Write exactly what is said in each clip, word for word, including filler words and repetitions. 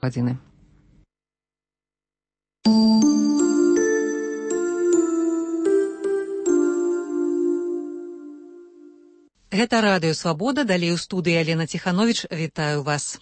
гадзіны. Гэта радыё «Свабода», далей у студыі Алена Ціхановіч, вітаю вас.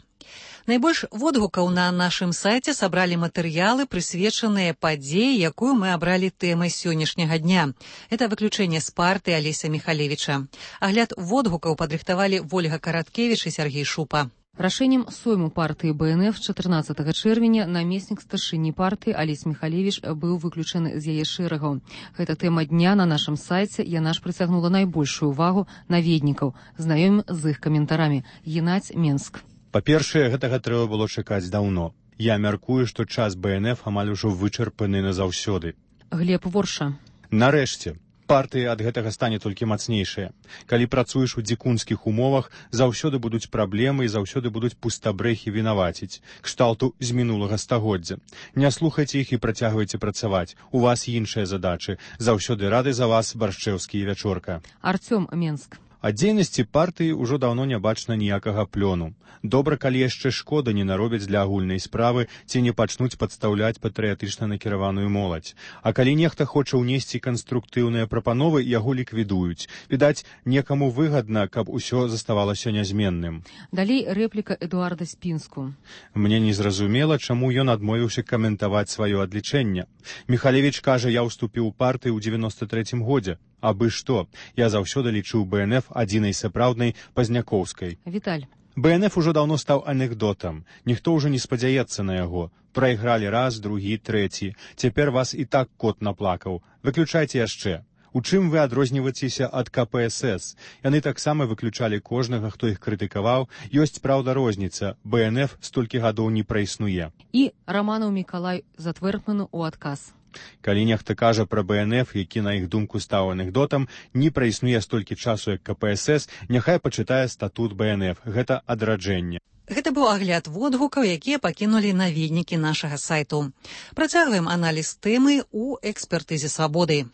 Найбольш водгукаў на нашым сайце сабралі матэрыялы, прысвечаныя падзеі, якую мы абралі тэмай сённяшняга дня. Это выключэнне з партыі Алеся Міхалевіча. Агляд водгукаў падрыхтавалі Вольга Караткевіч і Сергей Шупа. Рашэннем сойму партыі бэ эн эф чатырнаццатага чэрвеня намеснік старшыні партыі Алесь Міхалевіч быў выключаны з яе шэрагаў. Гэта тэма дня на нашым сайце, яна ж прыцягнула найбольшую увагу наведнікаў. Знаёмім з іх каментарамі. Геннадзь, Менск. Па-першае, гэтага трэба было чакаць даўно. Я мяркую, што час бэ эн эф амаль ужо вычарпаны назаўсёды. Глеб, Ворша. Нарэшце. Партыя ад гэтага стане толькі мацнейшая. Калі працуеш у дзікунскіх умовах, заўсёды будуць праблемы і заўсёды будуць пустабрэхі вінаваціць. Кшталту з мінулага стагоддзя. Не слухайце іх і працягвайце працаваць. У вас іншыя задачы. Заўсёды рады за вас, Баршчэўскі і Вячорка. Артём, Менск. Ад дзейнасці партыі ўжо даўно не бачна ніякага плёну. Добра, калі яшчэ шкода не наробяць для агульнай справы ці не пачнуць падстаўляць патрыятычна накіраваную моладзь. А калі нехта хоча ўнесці канструктыўныя прапановы, яго ліквідуюць. Відаць, некаму выгадна, каб усё заставалася нязменным. Далей рэпліка Эдуарда Спінску. Мне незразумела, чаму ён адмовіўся каментаваць сваё адлічэнне. Міхалевіч кажа, я ўступіў у партыю ў дзевяноста трэцім годзе. Абы што, я заўсёды лічыў бэ эн эф адзінай сапраўднай пазнякоўскай. Віталь. бэ эн эф ужо даўно стаў анекдотам. Ніхто ўжо не спадзяецца на яго. Прайгралі раз, другі, трэці. Цяпер вас і так кот наплакаў. Выключайце яшчэ. У чым вы адрозніваецеся ад ка пэ эс эс? Яны таксама выключалі кожнага, хто іх крытыкаваў. Ёсць, праўда, розніца. бэ эн эф столькі гадоў не праіснуе. І Раманаў Мікалай Затвэртману ў адказ. Калі нехта кажа пра бэ эн эф, які на іх думку стаў анекдотам, не праіснуе столькі часу, як ка пэ эс эс, няхай пачытае статут бэ эн эф. Гэта адраджэнне. Гэта быў агляд водгукаў, якія пакінулі наведнікі нашага сайту. Працягваем аналіз тэмы ў экспертызе «Свабоды».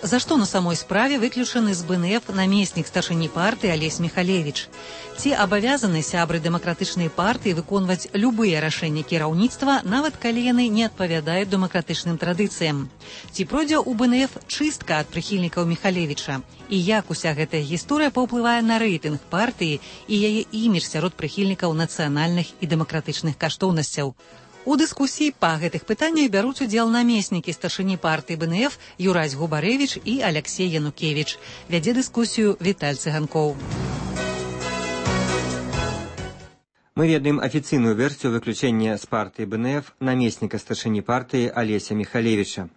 За што на самой справе выключаны з бэ эн эф намеснік старшыні партыі Алесь Міхалевіч? Ці абавязаны сябры дэмакратычнай партыі выконваць любыя рашэнні кіраўніцтва, нават калі яны не адпавядаюць дэмакратычным традыцыям? Ці пройдзе ў бэ эн эф чыстка ад прыхільнікаў Міхалевіча? І як уся гэтая гісторыя паўплывае на рэйтынг партыі і яе імідж сярод прыхільнікаў нацыянальных і дэмакратычных каштоўнасцяў? У дыскусіі па гэтых пытаннях бяруць удзел намеснікі старшыні партыі бэ эн эф Юрась Губарэвіч і Аляксей Янукевіч. Вядзе дыскусію Віталь Цыганкоў. Мы ведаем афіцыйную версію выключэння з партыі бэ эн эф намесніка старшыні партыі Алеся Міхалевіча.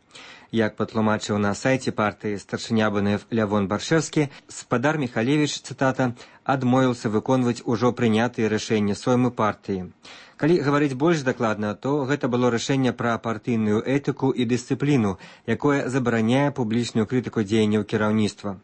Як патлумачыў на сайце партыі старшыня бэ эн эф Лявон Баршчэўскі, спадар Міхалевіч, цытата, адмовіўся выконваць ужо прынятыя рашэнні соймы партыі. Калі гаварыць больш дакладна, то гэта было рашэнне пра партыйную этыку і дысцыпліну, якое забараняе публічную крытыку дзеянняў кіраўніцтва.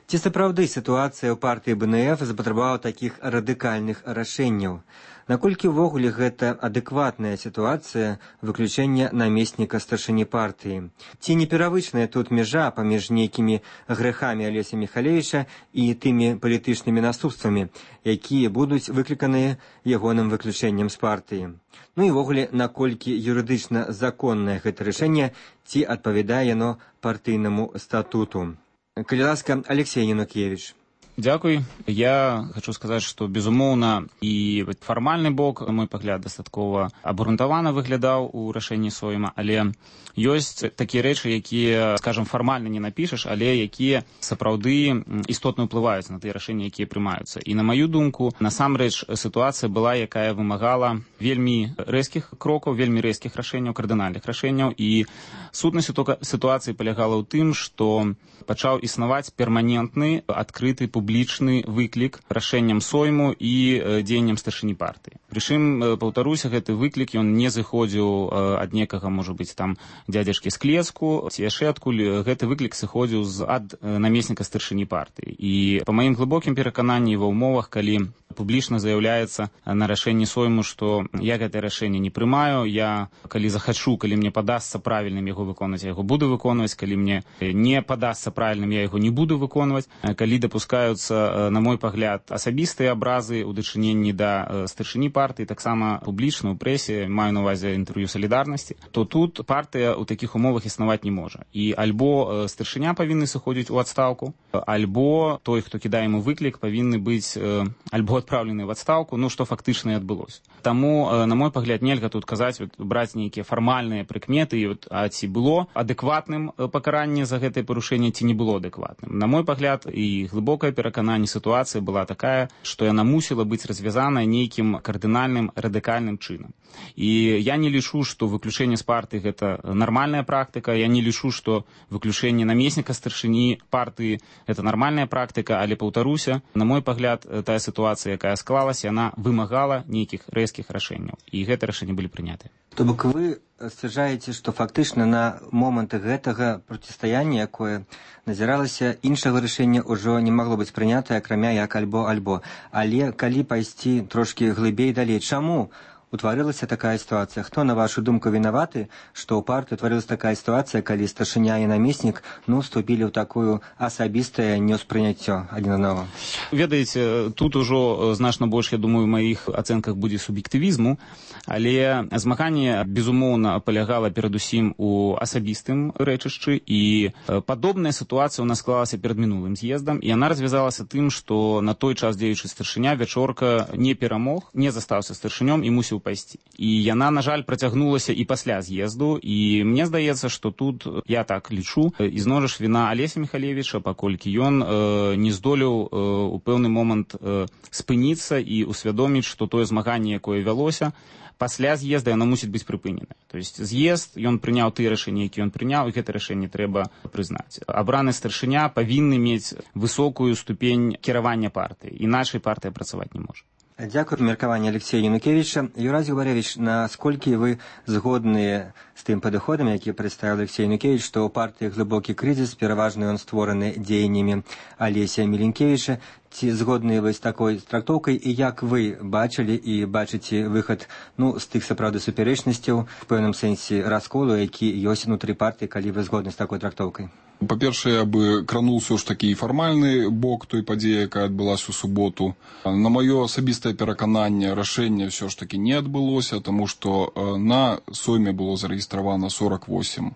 Ці сапраўды сітуацыя ў партыі бэ эн эф запатрабавала такіх радыкальных рашэнняў? Наколькі ўвогуле гэта адэкватная сітуацыя выключэння намесніка старшыні партыі? Ці не перавычная тут мяжа паміж нейкімі грэхамі Алеся Міхалевіча і тымі палітычнымі наступствамі, якія будуць выкліканыя ягоным выключэннем з партыі? Ну і ўвогуле, наколькі юрыдычна законнае гэта рашэнне, ці адпавядае яно партыйнаму статуту? Калі ласка, Алексей Янукевіч. Дзякуй. Я хочу сказаць, што, безумоўна, і фармальны бок, на мой пагляд, дастаткова абгрунтавана выглядаў у рашэнні сойма, але ёсць такія рэчы, якія, скажам, фармальна не напішаш, але якія сапраўды істотна ўплываюць на тыя рашэнні, якія прымаюцца. І на маю думку, насамрэч, сітуацыя была, якая вымагала вельмі рэзкіх крокаў, вельмі рэзкіх рашэнняў, кардынальных рашэнняў, і сутнасць сітуацыі палягала ў тым, што пачаў існаваць перманентны, адкрыты, публічны выклік рашэнням сойму і дзеянням старшыні партыі. Прычым, паўтаруся, гэты выклік, ён не зыходзіў ад некага, можа быць, там, дзядзяшкі з Клеску, ці яшчэ адкуль. Гэты выклік сыходзіў ад намесніка старшыні партыі. І па маім глыбокім перакананні ва ўмовах, калі публічна заяўляецца на рашэнні сойму, што я гэтае рашэнне не прымаю, я, калі захачу, калі мне падасца правільным яго выконваць, я яго буду выконваць, калі мне не падасца правільным, я яго не буду выконваць. Калі дапускаюцца, на мой пагляд, асабістыя абразы ў дачыненні да старшыні партыі, таксама публічна ў прэсе, маю на ўвазе інтэрв'ю «Салідарнасці», то тут партыя ў такіх умовах існаваць не можа. І альбо старшыня павінны сыходзіць у адстаўку, альбо той, хто кідае яму выклік, павінны быць альбо адпраўлены в адстаўку, ну, што фактычна і адбылося. Таму, на мой пагляд, нельга тут казаць, вот, браць нейкія фармальныя прыкметы, і, вот, а ці было адэкватным пакаранне за гэтае парушэнне, ці не было адэкватным. На мой пагляд, і глыбокае перакананне, сітуацыя была такая, што яна мусіла быць развязаная нейкім кардынальным, радыкальным чынам. І я не лічу, што выключэнне з партыі гэта нармальная практыка, я не лічу, што выключэнне намесніка старшыні партыі гэта нармальная практыка, але, паўтаруся, на мой пагляд, тая сітуацыя, якая склалася, яна вымагала нейкіх рэзкіх рашэнняў. І гэтыя рашэнні былі прыняты. То бок вы сцвярджаеце, што фактычна на момант гэтага процістаяння, якое назіралася, іншага рашэння ўжо не магло быць прынятае, акрамя як альбо-альбо. Але калі пайсці трошкі глыбей далей, чаму утварылася такая сітуацыя? Хто, на вашу думку, вінаваты, што ў партыі утварылася такая сітуацыя, калі старшыня і намеснік, ну, вступілі ў такую асабістае неўспрыняццё адзін аднаго? Ведаеце, тут ужо значна больш, я думаю, у маіх ацэнках будзе суб'ектывізму, але змаганне, безумоўна, палягала перадусім у асабістым рэчышчы, і падобная сітуацыя ў нас склалася перад мінулым з'ездам, і яна развязалася тым, што на той час дзеючы старшыня Вячорка не перамог, не застаўся старшынём і мусіў пайсці. І яна, на жаль, працягнулася і пасля з'езду, і мне здаецца, што тут, я так лічу, ізноў жа віна Алеся Міхалевіча, паколькі ён э, не здолеў э, у пэўны момант э, спыніцца і усвядоміць, што тое змаганне, якое вялося, пасля з'езда яно мусіць быць прыпынена. То есть з'езд, ён прыняў тыя рашэнні, які ён прыняў, і гэта рашэнне трэба прызнаць. Абраны старшыня павінны мець высокую ступень кіравання партыі, іначай партыя працаваць не можа. Дякую за меркаванне Алексея Янукевича. Юрий Губаревич, насколькі вы згодныя з тым падыходам, які прадставіў Алексей Янукевич, што ў партыі глыбокі крызіс, пераважна ён створаны дзеяннямі Алесія Міленкевіча? Ці згодныя вы з такой трактоўкай, і як вы бачылі і бачыце выхад, ну, з тых сапраўды супярэчнасцяў, в пэўным сэнсе расколу, які ёсць унутры партыі, калі вы згодны з такой трактоўкай? Па-першае, я бы крануў ўсё ж такі і фармальны бок той падзеі, якая адбылася ў суботу. На маё асабістае перакананне, рашэнне ўсё ж такі не адбылося, таму што на сойме было зарэгістравана сорок восемь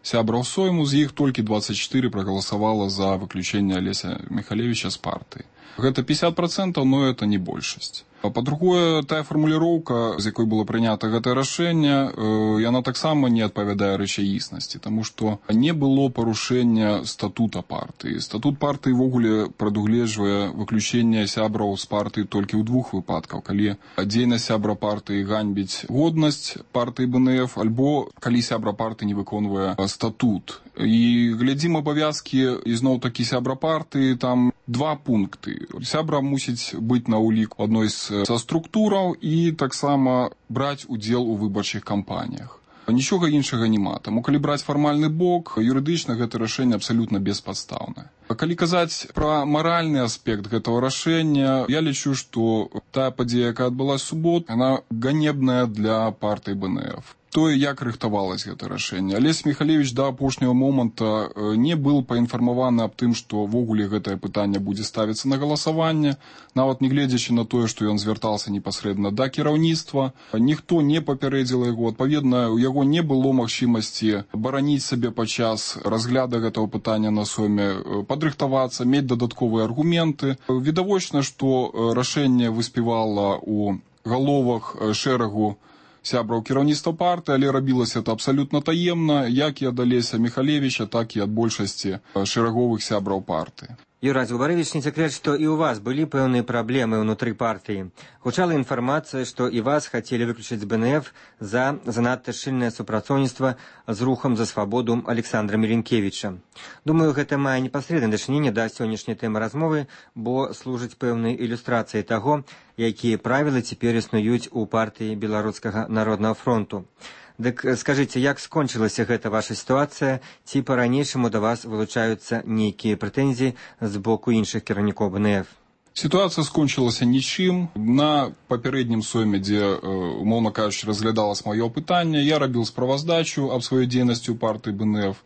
сябраў сойму, з іх толькі двадцать четыре прагаласавала за выключэнне Алеся Міхалевіча з партыі. Гэта пятьдесят процентов, но это не большасць. Па-другое, тая фармуліроўка, з якой было прынята гэтае рашэнне, яна таксама не адпавядае рэчаіснасці, таму што не было парушэння статута партыі. Статут партыі ввогуле прадугледжвае выключэнне сябраў з партыі толькі ў двух выпадках, калі дзейнасць сябра партыі ганьбіць годнасць партыі бэ эн эф, альбо калі сябра партыі не выконвае статут. І глядзім абавязкі, ізноў такі сябра партыі, там два пункты. Сябра мусіць быць на ўлік адной з са структураў і таксама браць удзел у выбарчых кампаніях. Нічога іншага няма. Таму, калі браць фармальны бок, юрыдычна гэта рашэнне абсалютна беспадстаўнае. Калі казаць пра маральны аспект гэтага рашэння, я лічу, што тая падзея, якая адбылася ў суботу, яна ганебная для партыі бэ эн эф. Тое, як рыхтавалася гэта рашэнне. Алесь Міхалевіч да апошняга моманта не быў паінфармаваны аб тым, што ввогуле гэтае пытанне будзе ставіцца на галасаванне, нават не гледзячы на тое, што ён звяртаўся непасрэдна да кіраўніцтва. Ніхто не папярэдзіла яго, адпаведна, у яго не было магчымасці бараніць сабе падчас разгляду гэтага пытання на сойме, падрыхтавацца, мець дадатковыя аргументы. Відавочна, што рашэнне выспявала ў галовах шэрагу сябраў кіраўніцтва партыі, але рабілася это абсалютна таемна, як і ад Алеся Міхалевіча, так і ад большасці шэраговых сябраў партыі. Юрий Зубарович, не секрет, что и у вас были пэўныя проблемы внутри партии. Гучала информация, что и вас хотели выключить с БНФ за занадто шчыльнае супрацоўніцтва з рухом за свободу Александра Миленкевича. Думаю, гэта мае непасрэднае дачыненне да сённяшняй тэмы размовы, бо служыць пэўнай ілюстрацыяй таго, якія правілы цяпер існуюць у партыі Беларускага народнага фронту. Дык скажыце, як скончылася гэта ваша сітуацыя, ці па-ранейшаму да вас вылучаюцца нейкія прэтэнзіі з боку іншых кіраўнікоў БНФ? Ситуация скончилась ничем. На папярэднім сойме, дзе, умоўна кажучы, разглядалось маё пытанне, я рабіў справаздачу аб сваёй дзейнасці ў партыі БНФ.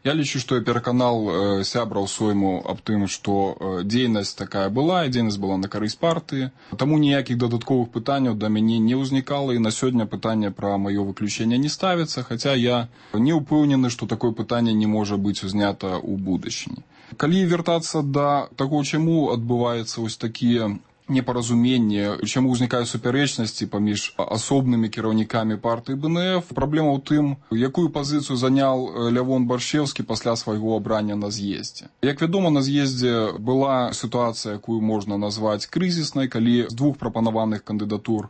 Я лічу, што я пераканал сябраў сойму аб тым, што дзейнасць такая была, і дзейнасць была на карысць партыі. Таму ніякіх дадатковых пытанняў да мяне не ўзнікала, і на сёння пытанне пра маё выключэнне не ставіцца, хаця я не ўпэўнены, што такое пытанне не можа быць узнята ў будучыні. Калі вяртацца да таго, чаму адбываецца вось такія непаразуменне, чаму ўзнікаюць супярэчнасці паміж асобнымі кіраўнікамі партыі БНФ. Праблема ў тым, якую пазіцыю заняў Лявон Баршчэўскі пасля свайго абрання на з'ездзе. Як вядома, на з'ездзе была сітуацыя, якую можна назваць крызіснай, калі з двух прапанаваных кандыдатур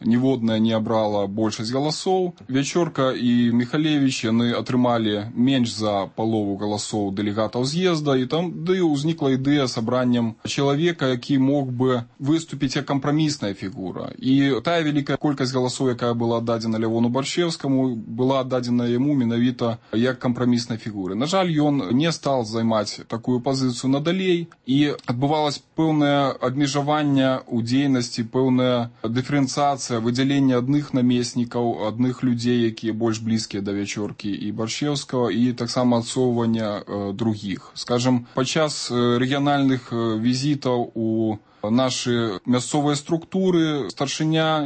ніводная не абрала большасць галасоў. Вячорка і Михалевич, яны атрымалі менш за палову галасоў дэлегатаў з'езда, і там да і ўзнікла ідэя сабраннем чалавека, які мог бы выступіць як кампрамісная фігура. І тая вялікая колькасць галасоў, якая была аддадзена Лявону Баршчэўскаму, была аддадзена яму менавіта як кампраміснай фігуры. На жаль, ён не стал займаць такую пазіцыю надалей, і адбывалася пэўнае абмежаванне ў дзейнасці, пэўная дыферэнцыяцыя, выдзяленне адных намеснікаў, адных людзей, якія больш блізкія да Вячоркі і Баршчэўскага, і таксама адсоўвання э, другіх. Скажем, падчас э, рэгіянальных э, візітаў у нашы мясцовыя структуры старшыня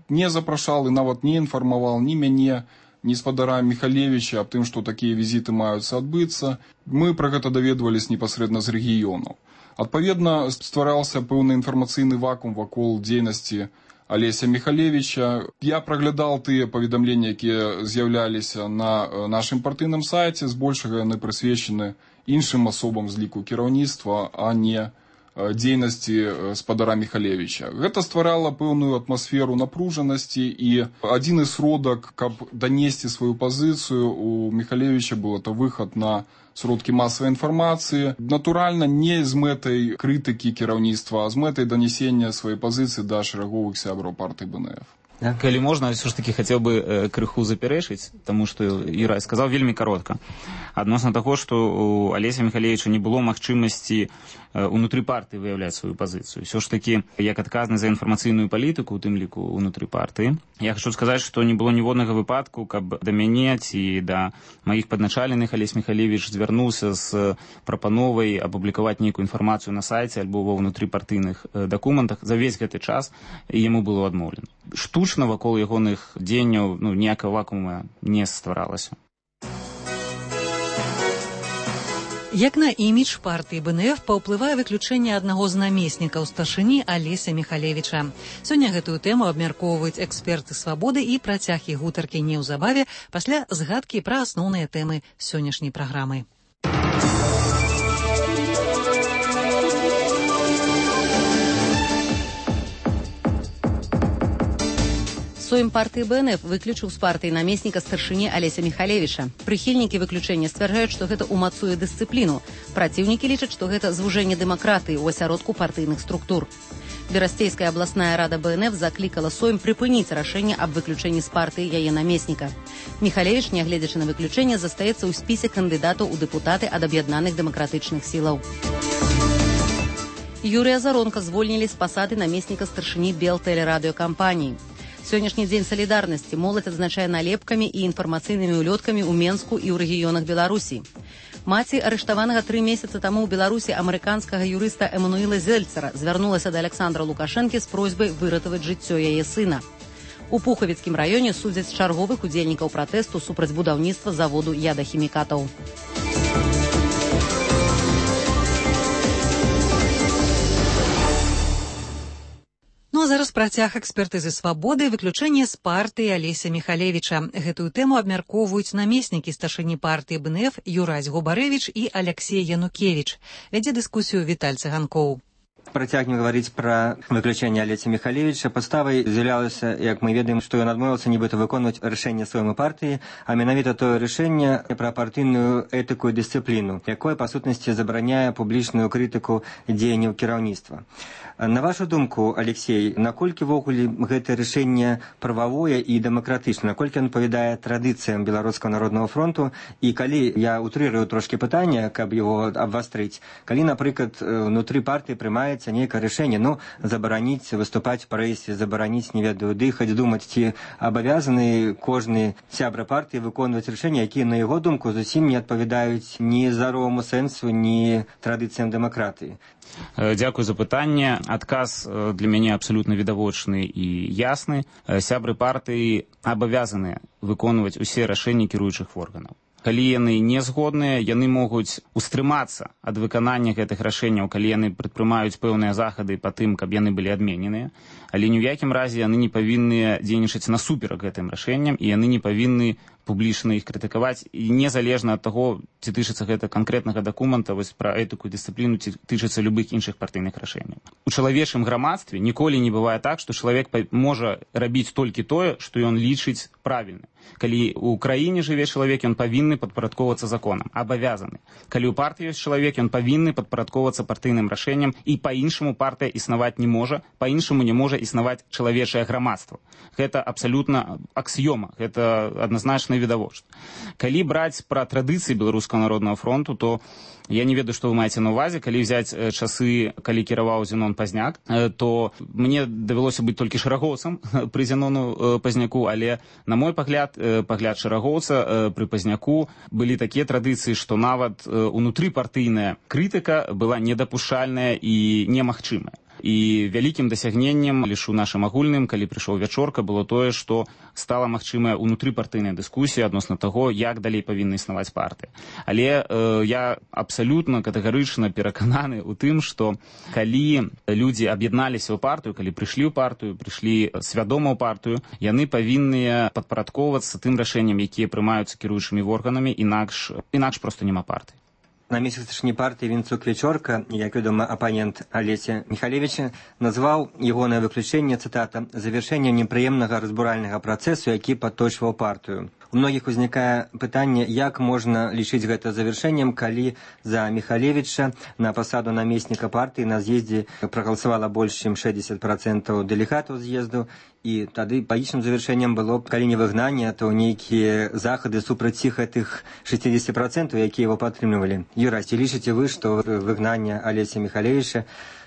не запрашаў і нават не інфармаваў ні мяне, ні спадара Михалевича аб тым, што такія візіты маюцца адбыцца. Мы пра гэта даведвались непасрэдна з рэгіёнаў. Адпаведна, ствараўся пэўны інфармацыйны вакуум вакол дзейнасці Алеся Михалевича. Я праглядал тыя паведамленні, якія з'яўляліся на нашым партыйным сайце, збольшага яны прысвечаны іншым асобам з ліку кіраўніцтва, а не дзейнасці спадара Михалевича. Гэта стварала пэўную атмасферу напружанасці, і адзіны сродак, каб данесці сваю пазіцыю, у Михалевича быў это выхад на сродкі масавай інфармацыі. Натуральна, не з мэтай крытыкі кіраўніцтва, а з мэтай данесення сваёй пазіцыі да шэраговых сябраў партыі БНФ. Да? Калі можна, все ж таки хацеў бы э, крыху запярэчыць, таму што Юрай сказаў вельмі каротка. Адносна таго, што у Алеся Михалевича не было магчымасці э, унутры партыі выяўляць сваю пазіцыю. Все ж таки, як адказны за інфармацыйную палітыку, у тым ліку унутры партыі, я хочу сказаць, што не было ніводнага выпадку, каб да мяне ці да маіх падначаленых Алесь Михалевич звярнуўся з прапановай апублікаваць нейкую інфармацыю на сайце альбо ва ўнутрыпартыйных э, дакументах. За весь гэты час яму было адмоўлена. Штучна вакол ягоных дзеянняў ну, ніякага вакуума не стваралася. Як на імідж партыі БНФ паўплывае выключэнне аднаго з намеснікаў старшыні Алеся Михалевича. Сёння гэтую тэму абмяркоўваюць эксперты свабоды, і працяг іх гутаркі неўзабаве пасля згадкі пра асноўныя тэмы сённяшняй праграмы. Сойм партыі БНФ выключыў з партыі намесніка старшыні Алеся Михалевича. Прыхільнікі выключэння сцвярджаюць, што гэта ўмацуе дысцыпліну. Праціўнікі лічаць, што гэта звужэнне дэмакратыі ў асяродку партыйных структур. Берасцейская абласная рада БНФ заклікала Сойм прыпыніць рашэнне аб выключэнні з партыі яе намесніка. Михалевич, нягледзячы на выключэнне, застаецца ў спісе кандыдатаў у дэпутаты ад аб'яднаных дэмакратычных сілаў. Юрыя Заронка звольнілі з пасады намесніка старшыні Белтэлерадыёкампаніі. Сённяшні дзень салідарнасці моладзь адзначае налепкамі і інфармацыйнымі ўлёткамі ў Менску і ў рэгіёнах Беларусі. Маці арыштаванага тры месяцы таму ў Беларусі амерыканскага юрыста Эмануіла Зельцера звярнулася да Александра Лукашэнкі з просьбай выратаваць жыццё яе сына. У Пухавіцкім раёне судзяць чарговых удзельнікаў пратэсту супраць будаўніцтва заводу ядахімікатаў. Ну Ну а зараз працяг экспертызы свабоды і выключэнне з партыі Алеся Михалевіча. Гэтую тэму абмяркоўваюць намеснікі старшыні партыі БНФ Юрась Губарэвіч і Алексей Янукевич. Вядзе дыскусію Віталь Цыганкоў. Працягнем гаварыць пра выключэнне Алеся Михалевіча. Падставай з'яўлялася, як мы ведаем, што ён адмовіўся нібыта выконваць рашэнне сваёй партыі, а менавіта тое рашэнне пра партыйную этыку і дысцыпліну, якое па сутнасці забараняе публічную крытыку дзеянняў кіраўніцтва. На вашу думку, Алексей, наколькі ввогуле гэтае рашэнне прававое і дэмакратычна, наколькі ён адпавядае традыцыям Беларускага народнага фронту, і калі я утрырую трошкі пытанне, каб яго абвастрыць, калі, напрыклад, внутры партыі прымаецца нейкае рашэнне, ну, забараніць выступаць в прэсе, забараніць, не ведаю, дыхаць, думаць, ці абавязаны кожны сябра партыі выконваць рашэнні, якія, на яго думку, зусім не адпавядаюць ні здароваму сэнсу, ні традыцыям дэмакратыі. Дзякую за пытанне. Адказ для мяне абсалютна відавочны і ясны. Сябры партыі абавязаныя выконваць усе рашэнні кіруючых органаў. Калі яны не згодныя, яны могуць устрымацца ад выканання гэтых рашэнняў, калі яны прадпрымаюць пэўныя захады па тым, каб яны былі адмененыя, але ні ў якім разе яны не павінны дзейнічаць насуперак гэтым рашэнням, і яны не павінны публічна іх крытыкаваць, і незалежна ад таго, ці тычыцца гэта канкрэтнага дакумента, вось пра этыку і дысцыпліну, ці тычыцца любых іншых партыйных рашэнняў. У чалавечым грамадстве ніколі не бывае так, што чалавек можа рабіць толькі тое, што ён лічыць правільным. Калі ў краіне жыве чалавек, ён павінны падпарадковацца законам, абавязаны. Калі ў партыі ёсць чалавек, ён павінны падпарадковацца партыйным рашэнням, і па-іншаму партыя існаваць не можа, па-іншаму не можа існаваць чалавечае грамадства. Гэта абсалютна аксіёма, гэта адназначна відавочна. Калі браць пра традыцыі Беларускага народнага фронту, то я не ведаю, што вы маеце на ўвазе. Калі взяць часы, калі кіраваў Зенон Пазняк, то мне давялося быць толькі шэрагоўцам пры Зенону Пазняку, але, на мой пагляд, пагляд шэрагоўца пры Пазняку былі такія традыцыі, што нават унутрыпартыйная крытыка была недапушчальная і немагчымая. І вялікім дасягненнем, лішу нашым агульным, калі прыйшоў Вячорка, было тое, што стала магчымая унутрыпартыйная дыскусія адносна таго, як далей павінна існаваць партыя. Але э, я абсалютна катэгарычна перакананы ў тым, што калі людзі аб'ядналіся ў партыю, калі прыйшлі ў партыю, прыйшлі свядома ў партыю, яны павінны падпарадковацца тым рашэнням, якія прымаюцца кіруючымі органамі, інакш, інакш проста няма партыі. Намеснік старшыні партыі Вінцук Вячорка, як вядома, апанент Алеся Михалевіча, назваў ягонае выключэнне, цытата, «завяршэннем непрыемнага разбуральнага працэсу, які падточваў партыю». У многіх узнікае пытанне, як можна лічыць гэта завяршэннем, калі за Михалевіча на пасаду намесніка партыі на з'ездзе прагаласавала больш, чым шэсцьдзесят працэнтаў дэлегатаў з'езду, і тады палічным завяршэннем было б, калі не выгнанне, то нейкія захады супраць іх гэтых шэсцьдзесят працэнтаў, якія его падтрымлівалі. Юрась, ці лічыце вы, што выгнанне Алеся Михалевіча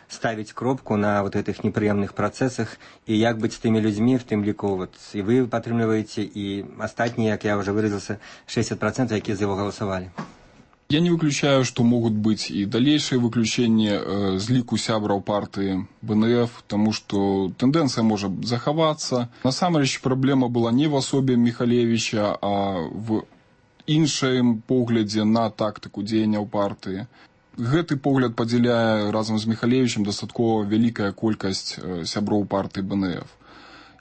ставить кропку на вот этих неприемных процессах, и як быть с теми людьми, в тем лику, вот, и вы подтримливаете, и остальные, как я уже выразился, шестьдесят процентов, которые за его голосовали. Я не выключаю, что могут быть и дальнейшие выключения э, з ліку сябраў партии БНФ, потому что тенденция может заховаться. На самом деле проблема была не в особе Михалевича, а в іншым поглядзе на тактику дзеянняў партии. Гэты погляд падзяляе разам з Михалевичем дастаткова вялікая колькасць сяброў партыі БНФ.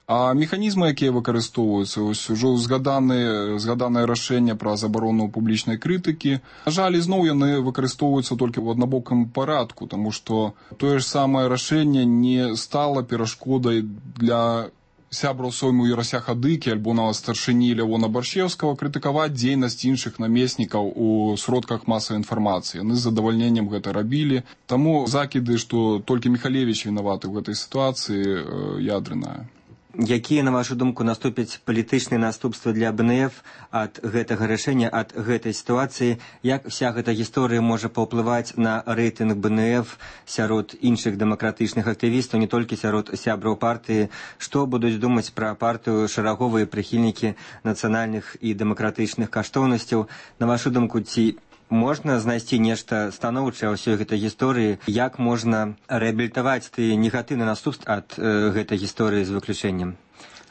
А механізмы, якія выкарыстоўваюцца, ось ужо згаданае, згаданае рашэнне пра забарону публічнай крытыкі, на жаль, ізноў яны выкарыстоўваюцца толькі ў аднабокам парадку, таму што тое ж самае рашэнне не стала перашкодай для сябраў сойму Юрася Хадыкі альбо нават старшыні Лявона Баршчеўскага крытыкаваць дзейнасць іншых намеснікаў у сродках масавай інфармацыі. Яны з задавальненнем гэта рабілі. Таму закіды, што толькі Михалевич вінаваты ў гэтай сітуацыі, ядрэнная. Якія, на вашу думку, наступяць палітычныя наступствы для БНФ ад гэтага рашэння, ад гэтай сітуацыі? Як вся гэта гісторыя можа паўплываць на рэйтынг БНФ сярод іншых дэмакратычных актывістаў, не толькі сярод сябраў партыі? Што будуць думаць пра партыю шэраговыя прыхільнікі нацыянальных і дэмакратычных каштоўнасцяў? На вашу думку, ці Можна знайсці нешта станоўчае ў ўсёй гэтай гісторыі, як можна рэабілітаваць тыя негатыўныя наступствы ад э, гэтай гісторыі з выключэннем?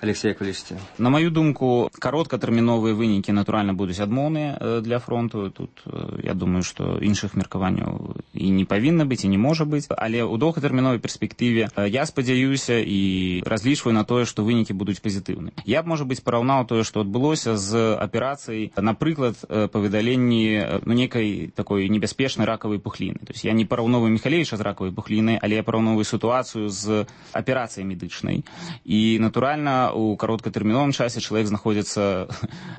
Алексей Яковлевич. На мою думку, кароткатэрміновыя вынікі, натуральна, будуць адмоўныя для фронту. Тут, я думаю, што іншых меркаванняў і не павінна быць, і не можа быць. Але ў доўгатэрміновай перспектыве я спадзяюся і разлічваю на тое, што вынікі будуць пазітыўныя. Я б, можа быць, параўнаў тое, што адбылося з аперацыяй, напрыклад, па выдаленні ну, некай такой небяспечнай ракавай пухліны. То есть я не параўноваю Михалевича з ракавай пухлінай, але я параўноваю сітуацыю з аперацыяй медычнай. І, натуральна, у кароткатэрміновым часе чалавек знаходзіцца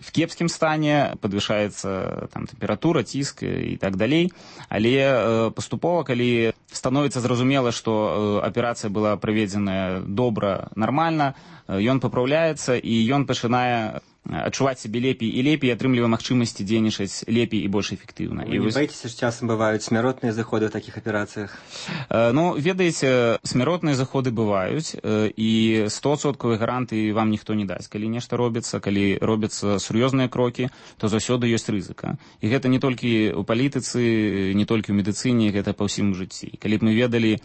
в кепскім стане, падвышаецца там тэмпература, ціск і так далей. Але паступова, калі становіцца зразумела, што аперацыя была праведзеная добра, нармальна, ён папраўляецца і ён пачынае адчуваць сябе лепей і лепей, атрымлівае магчымасці дзейнічаць лепей і больш эфектыўна. Вы не баіцеся, што часам бываюць смяротныя заходы ў такіх аперацыях? Ну, ведаеце, смяротныя заходы бываюць, і стопроцентовай гарантыі вам ніхто не дасць. Калі нешта робіцца, калі робяцца сур'ёзныя крокі, то заўсёды ёсць рызыка. І гэта не толькі ў палітыцы, не толькі ў медыцыне, гэта па ўсім жыцці. Калі б мы ведалі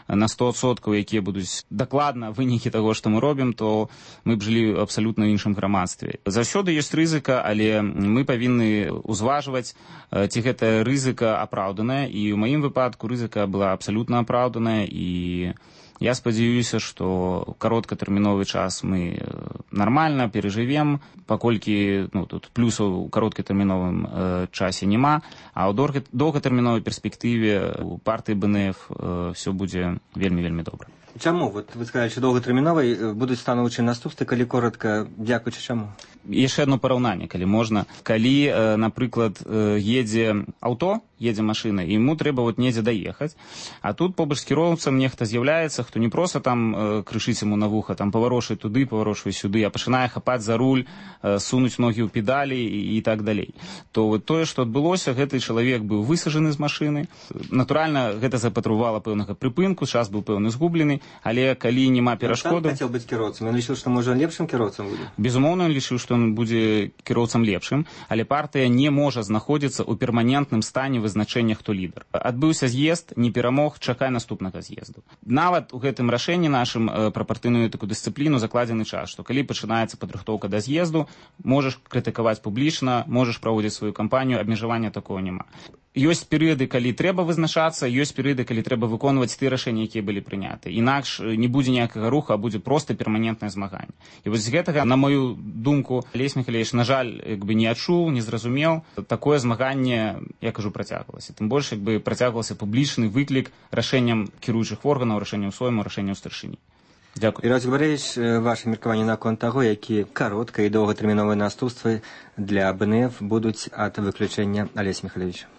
на сто адсоткаў, якія будуць дакладна вынікі таго, што мы робім, то мы б жылі абсалютна ў іншым грамадстве. Заўсёды ёсць рызыка, але мы павінны ўзважваць, ці гэтая рызыка апраўданая, і ў маім выпадку рызыка была абсалютна апраўданая, і я спадзяюся, што кароткатэрміновы час мы нармальна перажывем, паколькі ну, тут плюсаў у кароткатэрміновым э, часе няма, а ў доўгатэрміновай перспектыве у партыі БНФ э, все будзе вельмі-вельмі добра. Чаму? Вот вы сказали, што доўгатэрміновай будуць станоўчыя наступствы, калі коротка, дзякуючы чаму? Яшчэ одно параўнанне, калі можна. Калі, э, напрыклад, э, едзе аўто, едзе машына, і яму трэба вот недзе даехаць, а тут побач з кіроўцам нехта з'яўляецца, хто не проста там э, крышыць яму на вуха, там паварошвае туды, паварошвае сюды, а пачынае хапаць за руль, э, сунуць ногі ў педалі і, і так далей. То вот тое, што адбылося, гэты чалавек быў высажаны з машыны. Натуральна, гэта запатрабавала пэўнага прыпынку, час быў пэўны згублены, але калі няма перашкоды... Ён хацеў быць кіроўцам, ён лічыў, што можа лепшым кіроўцам будзе? Безумоўна, ён лічыў, што ён будзе кіроўцам лепшым, але партыя не можа знаходзіцца ў перманентным стане вызначэння, хто лідар. Адбыўся з'езд, не перамог, чакай наступнага з'езду. Нават у гэтым рашэнні нашым пра партыйную такую дысцыпліну закладзены час, што калі пачынаецца падрыхтоўка да з'езду, можаш крытыкаваць публічна, можаш праводзіць сваю кампанію, абмежавання такого няма. Ёсць перыяды, калі трэба вызначацца, ёсць перыяды, калі трэба выконваць тыя рашэнні, якія былі прыняты. Інакш не будзе ніякага руху, а будзе проста перманентнае змаганне. І вось з гэтага, на мою думку, Алесь Михалевич, на жаль, як бы не адчуў, не зразумеў, такое змаганне, я кажу, працягвалася. Тым больш, як бы працягвалася публічны выклік рашэнням кіруючых органаў, рашэнням сойму, рашэнням старшыні. Дякую. Ірась Губаревич, ваше меркаванне наконт таго, які каротка і доўгатэрміновыя наступствы для БНФ будуць ад выключэння Алеся Михалевича?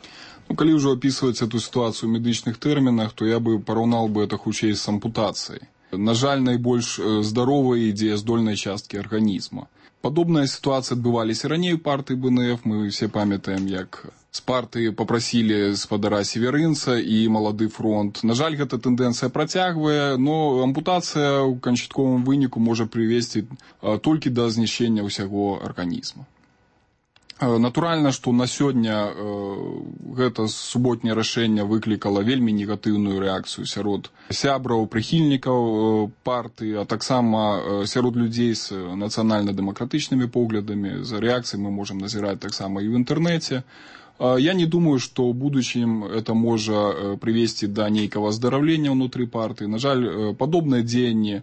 Ну, калі ўжо опісваць эту сітуацыю ў медычных тэрмінах, то я бы параўнаў бы это хутчэй з ампутацыяй. На жаль, найбольш здаровай і дзеяздольнай часткі арганізма. Падобная сітуацыя адбываліся раней у партыі БНФ. Мы все памятаем, як з партыі попрасілі спадара Северынца і Малады фронт. На жаль, гэта тэндэнцыя працягвае, но ампутацыя ў канчатковым выніку можа прывесці толькі да знішчэння ўсяго арганізма. Натуральна, што на сёння э, гэта суботняе рашэнне выклікала вельмі негатыўную рэакцыю сярод сябраў, прыхільнікаў э, партыі, а таксама э, сярод людзей з нацыянальна-дэмакратычнымі поглядамі. За рэакцыяй мы можам назіраць таксама і ў інтэрнэце. Э, я не думаю, што ў будучым это можа э, прывесці да нейкага аздараўлення ўнутры партыі. На жаль, э, падобныя дзеянні э,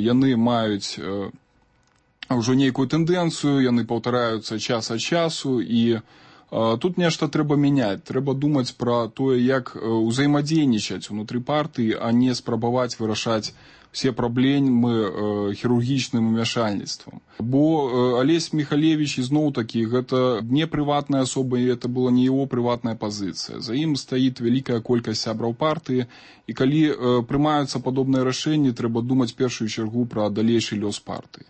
яны маюць э, ўжо нейкую тэндэнцыю, яны паўтараюцца час ад часу, і э, тут нешта трэба мяняць. Трэба думаць пра тое, як узаемадзейнічаць унутры партыі, а не спрабаваць вырашаць все праблемы э, хірургічным умяшальніцтвам. Бо э, Алесь Михалевич, ізноў-такі, гэта не прыватная асоба, і это была не яго прыватная пазіцыя. За ім стаіць вялікая колькасць сябраў партыі, і калі э, прымаюцца падобныя рашэнні, трэба думаць в першую чаргу пра далейшы лёс партыі.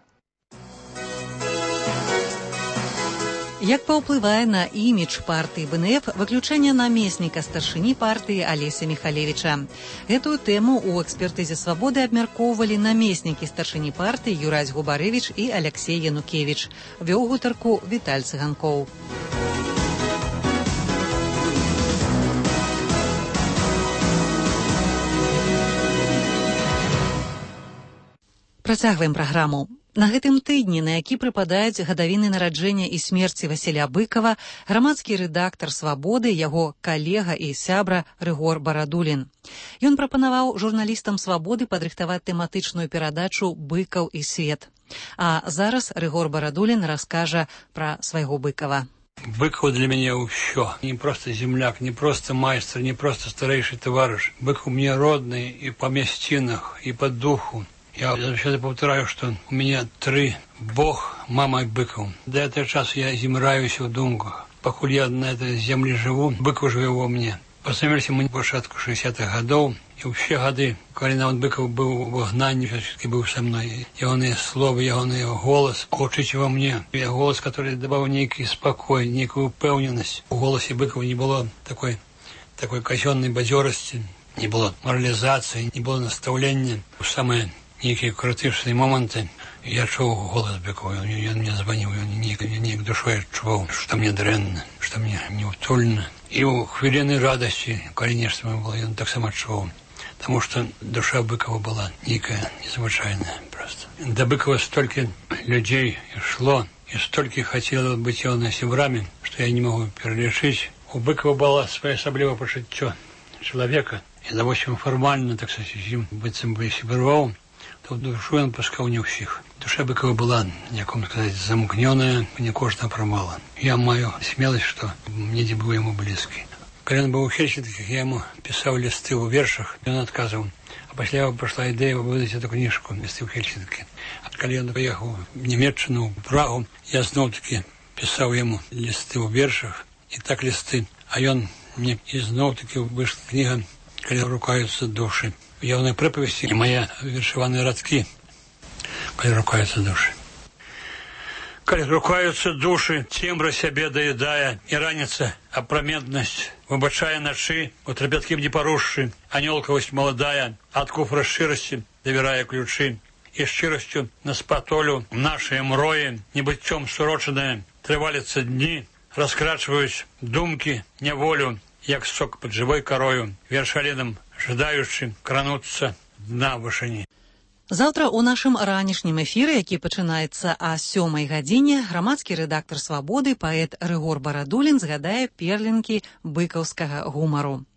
Як паўплывае на імідж партыі БНФ выключэнне намесніка старшыні партыі Алеся Михалевича? Гэтую тэму ў экспертызе «Свабоды» абмяркоўвалі намеснікі старшыні партыі Юрась Губарэвіч і Алексей Янукевіч. Вёў гутарку Віталь Цыганкоў. Працягваем праграму. На гэтым тыдні, на які прыпадаюць гадавіны нараджэння і смерці Васіля Быкава, грамадскі рэдактар «Свабоды», яго калега і сябра Рыгор Барадулін. Ён прапанаваў журналістам «Свабоды» падрыхтаваць тэматычную перадачу «Быкаў і свет». А зараз Рыгор Барадулін раскажа пра свайго Быкава. Быкаў для мяне ўсё. Не проста земляк, не проста майстар, не проста старэйшы таварыш. Быкаў мне родны і па мясцінах, і па духу. Я заўсёды паўтараю, што у мяне тры Бог, мама і Быкаў. Да гэтага часу я зімраюся ў думках. Пакуль я на этой землі жыву, Быкаў жыве во мне. Пазнаёміліся мы на пачатку шэсцідзятых гадоў, і ўсе гады, калі нават Быкаў быў у выгнанні, ўсё-таки быў са мной. Ягоныя словы, ягоны голас гучыць во мне. Яго голас, который даваў нейкі спакой, нейкую упэўненасць. У голасе Быкава не было такой, такой казённай бадзёрасці, не было моралізацыі, не было настаўлення. Самае нейкія крытычныя моманты я чуў голас Быкова, ён мне званіў, ён неяк, неяк душой адчуваў, што мне дрэнна, што мне неутульна. І ў хвіліны радасці, калі нешта было, ён таксама адчуваў. Таму што душа Быкова была нейкая незвычайная проста. Да Быкова столькі людзей ішло, і столькі хацела быць ягонымі сябрамі, што я не магу пералічыць. У Быкова было своеасаблівае пачуццё чалавека, і давосім фармальна, так сказаць, з ім быццам бы сябраваў, то душу ён пускаў не ўсіх. Душа Быкова была, як вам сказаць, замкнёная, не кожна прамала. Я маю смеласць, што недзе быў яму блізкі. Калі ён быў у Хельсінках, я яму пісаў лісты ў вершах, ён адказваў. А пасля прайшла ідэя выдаць эту кніжку «Лісты ў Хельсінкі». А калі ён паехаў в Нямецчыну, в Прагу, я зноў-такі пісаў яму лісты ў вершах, і так лісты. А ён мне і зноў-такі выйшла кніга «Калі рукаюцца душы». Ягоныя прыпавесці і мае вершаваныя радкі, калі рукаюцца душы. Калі рукаюцца душы, цемра сябе даядае, і раніца апраметнасць выбачае начы, у трапяткім не парушшы, анёлкавасць маладая, ад куфра шчырасці давярае ключы, і шчырасцю на спатолю нашыя мроі, небыццём сурочаныя, трываліцца дні, раскрачваюць думкі, няволю, як сок пад жывой карою, вершалінам жадаючы крануцца дна вышыні. Заўтра ў нашым ранішнім эфіры, які пачынаецца а сёмай гадзіне, грамадскі рэдактар «Свабоды», паэт Рыгор Барадулін згадае перлінкі быкаўскага гумару.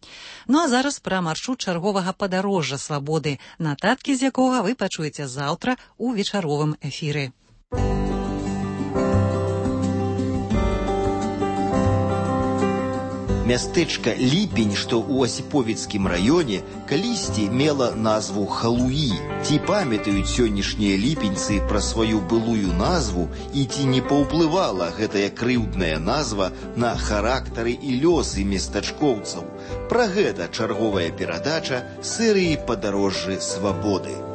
Ну а зараз пра маршрут чарговага падарожжа «Свабоды», нататкі з якога вы пачуеце заўтра ў вечаровым эфіры. Мястэчка Ліпень, што ў Асіповіцкім раёне, калісьці мела назву Халуі. Ці памятаюць сённяшнія ліпеньцы пра сваю былую назву і ці не паўплывала гэтая крыўдная назва на характары і лёсы местачкоўцаў? Пра гэта чарговая перадача серыі «Падарожжы Свабоды».